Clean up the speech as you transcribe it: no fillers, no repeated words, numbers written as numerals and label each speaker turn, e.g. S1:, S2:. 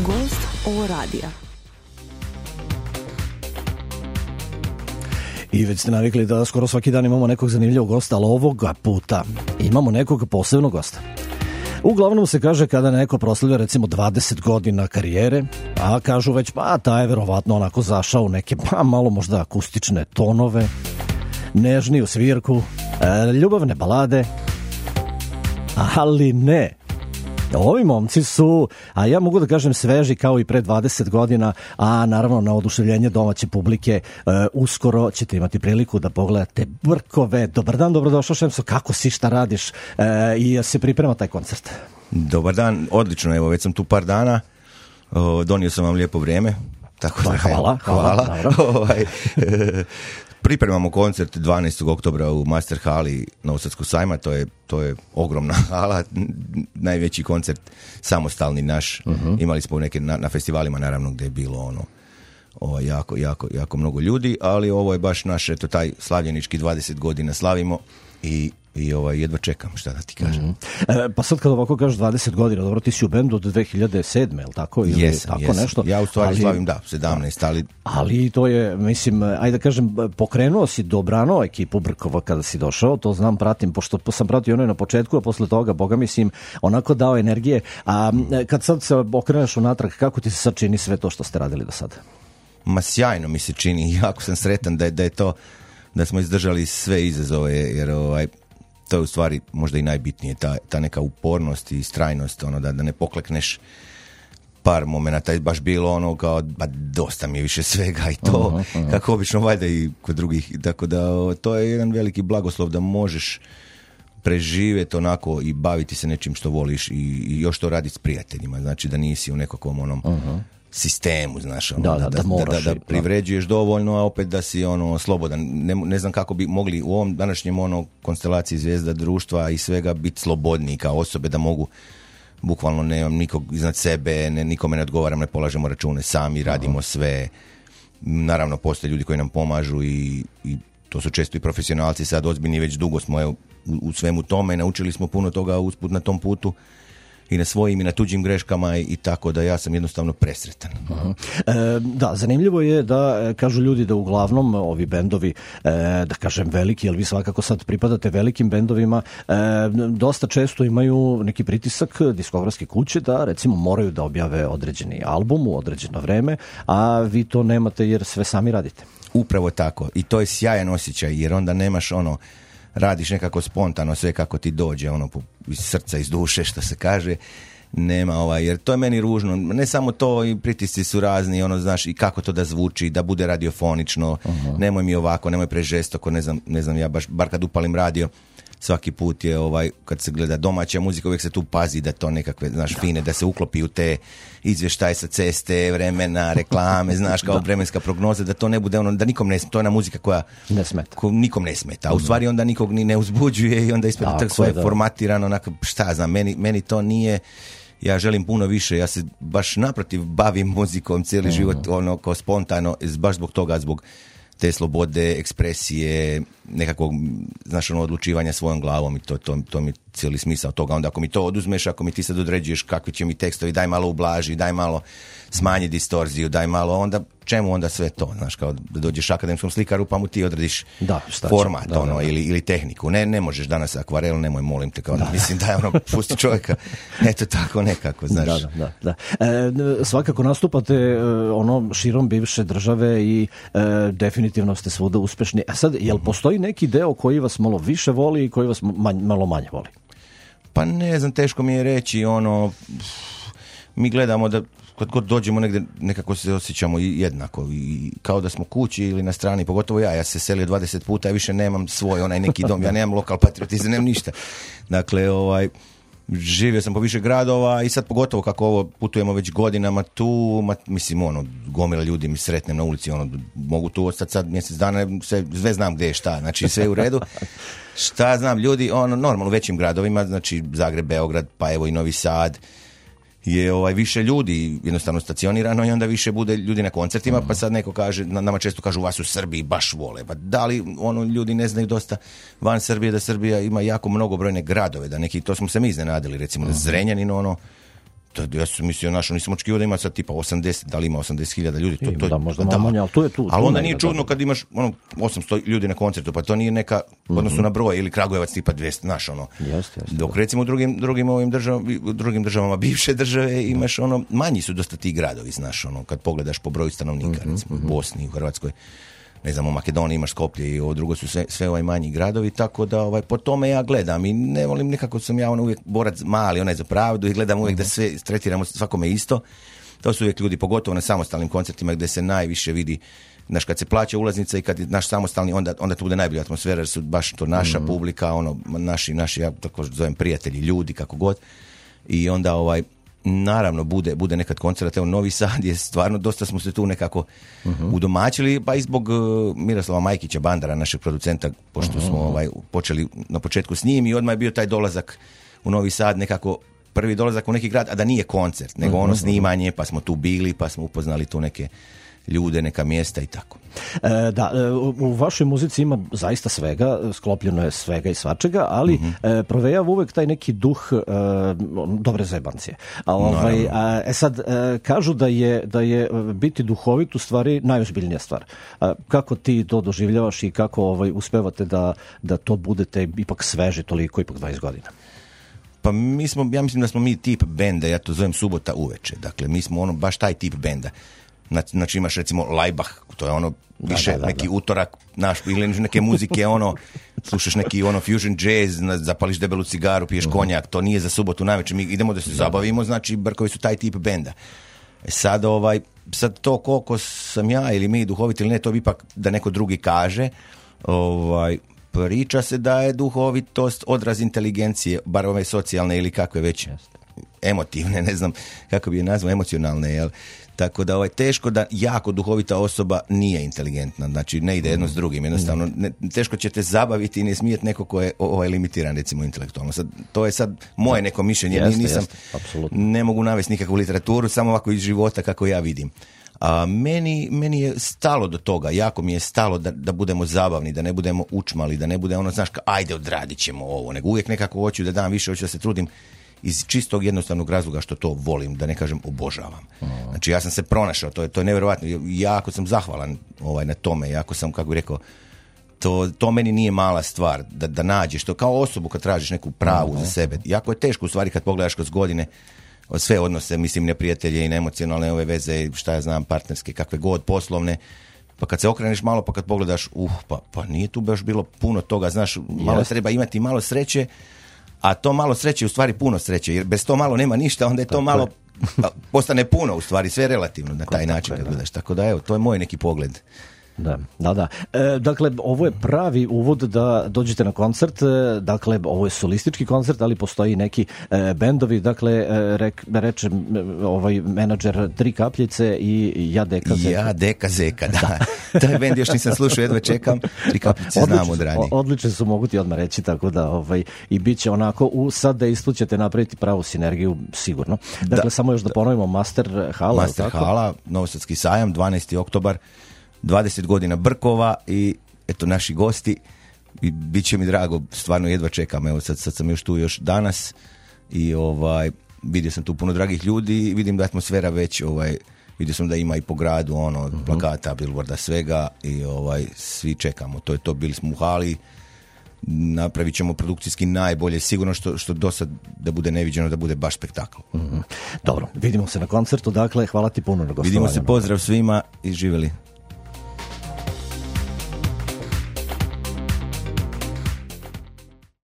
S1: Gost ovo radija.
S2: I već ste navikli da skoro svaki dan imamo nekog zanimljivog gosta, ali ovoga puta imamo nekog posebnog gosta. Uglavnom se kaže kada neko proslavlja recimo 20 godina karijere, a kažu već pa taj je verovatno onako zašao u neke malo možda akustične tonove, nežniju svirku, ljubavne balade, ali ne. Ovi momci su, a ja mogu da kažem, sveži kao i pre 20 godina, a naravno na oduševljenje domaće publike uskoro ćete imati priliku da pogledate Brkove. Dobar dan, dobrodošao Šemso, kako si, šta radiš i se priprema taj koncert?
S3: Dobar dan, odlično, evo već sam tu par dana, donio sam vam lijepo vrijeme. Tako da, hvala. Pripremamo koncert 12. oktobra u Master hali Novosadskog sajma, to je ogromna hala, najveći koncert samostalni naš. Imali smo neke na festivalima naravno gdje je bilo jako mnogo ljudi, ali ovo je baš naš, eto, taj slavljenički 20 godina slavimo i jedva čekam, šta da ti kažem.
S2: Pa sad kad ovako kažeš 20 godina, dobro, ti si u bendu od 2007, je li tako?
S3: Jesam.
S2: Nešto?
S3: Ja u stvari slavim, 17,
S2: ali to je, mislim, ajde da kažem, pokrenuo si dobrano ekipu Brkova kada si došao, to znam, pratim, pošto sam pratio ono na početku, a posle toga, boga mislim, onako dao energije, a kad sad se okreneš unatrag, kako ti se sad čini sve to što ste radili do sada?
S3: Ma sjajno mi se čini, jako sam sretan da je to, da smo izdržali sve izazove, jer to je u stvari možda i najbitnije, ta neka upornost i strajnost, da ne poklekneš par momenata, je baš bilo ono kao, dosta mi je više svega i to, kako obično valjda i kod drugih, tako da to je jedan veliki blagoslov da možeš preživjeti onako i baviti se nečim što voliš i još to raditi s prijateljima, znači da nisi u nekakvom sistemu, znaš, da privređuješ dovoljno, a opet da si slobodan. Ne znam kako bi mogli u ovom današnjem konstelaciji zvijezda društva i svega biti slobodniji kao osobe, da mogu bukvalno, nemam nikog iznad sebe, nikome ne odgovaram, ne polažemo račune, sami radimo sve. Naravno postoje ljudi koji nam pomažu i to su često i profesionalci, sad ozbiljni, već dugo smo u svemu tome, naučili smo puno toga usput na tom putu i na svojim i na tuđim greškama i tako da ja sam jednostavno presretan.
S2: Da, zanimljivo je da kažu ljudi da uglavnom ovi bendovi, da kažem veliki, jer vi svakako sad pripadate velikim bendovima, dosta često imaju neki pritisak diskografske kuće da recimo moraju da objave određeni album u određeno vreme, a vi to nemate jer sve sami radite.
S3: Upravo tako i to je sjajan osjećaj jer onda nemaš radiš nekako spontano sve kako ti dođe, iz srca, iz duše, što se kaže, nema jer to je meni ružno, ne samo to, i pritisci su razni, znaš, i kako to da zvuči, da bude radiofonično, nemoj mi ovako, nemoj prežestoko, ne znam, ja bar kad upalim radio, svaki put je kad se gleda domaća muzika, uvijek se tu pazi da to nekakve, znaš, fine, da se uklopi u te izvještaje sa ceste, vremena, reklame, znaš, kao vremenska prognoza, da to ne bude da nikom ne smeta, to je ona muzika koja
S2: ne smeta.
S3: Nikom ne smeta, a u stvari onda nikog ni ne uzbuđuje i onda ispred tako sve formatirano, onako, šta znam, meni to nije, ja želim puno više, ja se baš naprotiv bavim muzikom cijeli život, kao spontano, baš zbog toga, zbog te slobode, ekspresije, nekakvog, znaš, odlučivanja svojom glavom i to mi cijeli smisao toga. Onda ako mi to oduzmeš, ako mi ti sad određuješ kakvi će mi tekstovi, daj malo ublaži, daj malo smanji distorziju, daj malo, onda čemu onda sve to, znaš, kao da dođeš akademskom slikaru pa mu ti odrediš format, ili tehniku. Ne možeš danas akvarel, nemoj, molim te, kao mislim da pusti čovjeka, eto tako nekako, znaš.
S2: Da. Svakako nastupate širom bivše države i definitivno ste svuda uspešni. A sad, jel postoji neki deo koji vas malo više voli i koji vas malo manje voli?
S3: Pa ne znam, teško mi je reći, mi gledamo da kad god dođemo negdje nekako se osjećamo jednako i kao da smo kući ili na strani, pogotovo ja se selio 20 puta, ja više nemam svoj neki dom, ja nemam lokal patriotizam, nemam ništa. Dakle, živio sam po više gradova i sad pogotovo kako ovo putujemo već godinama tu, mislim, gomila ljudi mi sretnem na ulici, mogu tu ostati sad mjesec dana, sve znam gdje je šta, znači sve u redu. Šta znam, ljudi, normalno u većim gradovima, znači Zagreb, Beograd, pa evo i Novi Sad, je više ljudi jednostavno stacionirano i onda više bude ljudi na koncertima, pa sad neko kaže, nama često kažu vas u Srbiji baš vole, pa da li ljudi ne znaju dosta van Srbije da Srbija ima jako mnogobrojne gradove, da neki, to smo se mi iznenadili, recimo da Zrenjanin Ja sam mislio, nisam očekivao da ima sad tipa 80, da li ima 80.000 ljudi.
S2: Da, možda malo manje, ali tu je tu.
S3: Ali onda nije čudno kad imaš 800 ljudi na koncertu, pa to nije neka, odnosno na broj, ili Kragujevac tipa 200, znaš,
S2: Jeste.
S3: Dok recimo u drugim državama bivše države imaš manji su dosta ti gradovi, znaš, kad pogledaš po broju stanovnika, recimo u Bosni, u Hrvatskoj, ne znam, u Makedoniji imaš Skoplje i ovo drugo su sve manji gradovi, tako da po tome ja gledam i ne volim, nekako sam ja uvijek borac mali, onaj za pravdu i gledam uvijek da sve tretiramo svakome isto. To su uvijek ljudi, pogotovo na samostalnim koncertima gdje se najviše vidi, znaš, kad se plaća ulaznica i kad je naš samostalni, onda tu bude najbolja atmosfera, jer su baš to naša publika, naši, ja tako zovem prijatelji, ljudi, kako god. I onda naravno bude nekad koncert. Evo, Novi Sad je stvarno, dosta smo se tu nekako udomačili, pa i zbog Miroslava Majkića, Bandara, našeg producenta, pošto smo počeli na početku s njim i odmah je bio taj dolazak u Novi Sad, nekako prvi dolazak u neki grad, a da nije koncert, nego snimanje, pa smo tu bili, pa smo upoznali tu neke ljude, neka mjesta i tako.
S2: U vašoj muzici ima zaista svega, sklopljeno je svega i svačega, ali provejava uvek taj neki duh dobre zajebancije. Sad, kažu da je biti duhovit u stvari najozbiljnija stvar. Kako ti to doživljavaš i kako uspevate da to budete ipak sveži toliko, ipak 20 godina?
S3: Pa ja mislim da smo mi tip benda, ja to zovem subota uveče. Dakle, mi smo baš taj tip benda. Znači imaš recimo Laibach, to je više neki utorak naš, ili neke muzike, slušaš neki fusion jazz, zapališ debelu cigaru, piješ konjak, to nije za subotu navečer, mi idemo da se zabavimo, znači Brkovi su taj tip benda. Sad to koliko sam ja ili mi duhoviti ili ne, to bi ipak da neko drugi kaže, priča se da je duhovitost odraz inteligencije, bar ove socijalne ili kakve već emotivne, ne znam kako bi je nazvao, emocionalne, jel? Tako da teško da jako duhovita osoba nije inteligentna, znači ne ide jedno s drugim, jednostavno teško će te zabaviti i ne smijeti neko ko je limitiran recimo intelektualno. To je sad moje neko mišljenje, ne mogu navesti nikakvu literaturu, samo ovako iz života kako ja vidim. A meni je stalo do toga, jako mi je stalo da budemo zabavni, da ne budemo učmali, da ne bude znaš, ajde odradit ćemo ovo, nego uvijek nekako hoću da dam više, hoću da se trudim iz čistog jednostavnog razloga što to volim, da ne kažem obožavam. Znači ja sam se pronašao, to je nevjerojatno, jako sam zahvalan na tome, jako sam, kako bih rekao, to meni nije mala stvar, da nađeš to kao osobu kad tražiš neku pravu za sebe. Jako je teško u stvari kad pogledaš kroz godine sve odnose, mislim, neprijatelje i neemocionalne ove veze, šta ja znam, partnerske, kakve god, poslovne, pa kad se okreneš malo, pa kad pogledaš, pa nije tu baš bilo puno toga, znaš, malo treba imati malo sreće, a to malo sreće je u stvari puno sreće, jer bez to malo nema ništa, onda je to malo postane puno, u stvari sve relativno na taj način kad gledaš, tako da evo, to je moj neki pogled.
S2: Da. Dakle, ovo je pravi uvod da dođete na koncert, dakle, ovo je solistički koncert, ali postoji neki bendovi, dakle, reče menadžer Tri kapljice i Ja Deka Zeka.
S3: Ja Deka Zeka, da. Taj bend još nisam slušao, jedva čekam, Tri kapljice znam od ranije.
S2: Odlični su, mogu ti odmah reći, tako da i bit će onako, sad da ćete napraviti pravu sinergiju, sigurno. Dakle, samo još da ponovimo, Master Hala.
S3: Master Hala, Novosadski sajam, 12. oktobar, 20 godina Brkova i eto naši gosti i bit će mi drago, stvarno jedva čekam, evo sad sam još tu danas i vidio sam tu puno dragih ljudi i vidim da atmosfera već, vidio sam da ima i po gradu plakata, billboarda, svega i svi čekamo, to je to, bili smo u hali, napravit ćemo produkcijski najbolje, sigurno što do sad da bude neviđeno, da bude baš spektakl.
S2: Dobro, vidimo se na koncertu, dakle, hvala ti puno na gostovanju.
S3: Vidimo se, pozdrav svima i živjeli.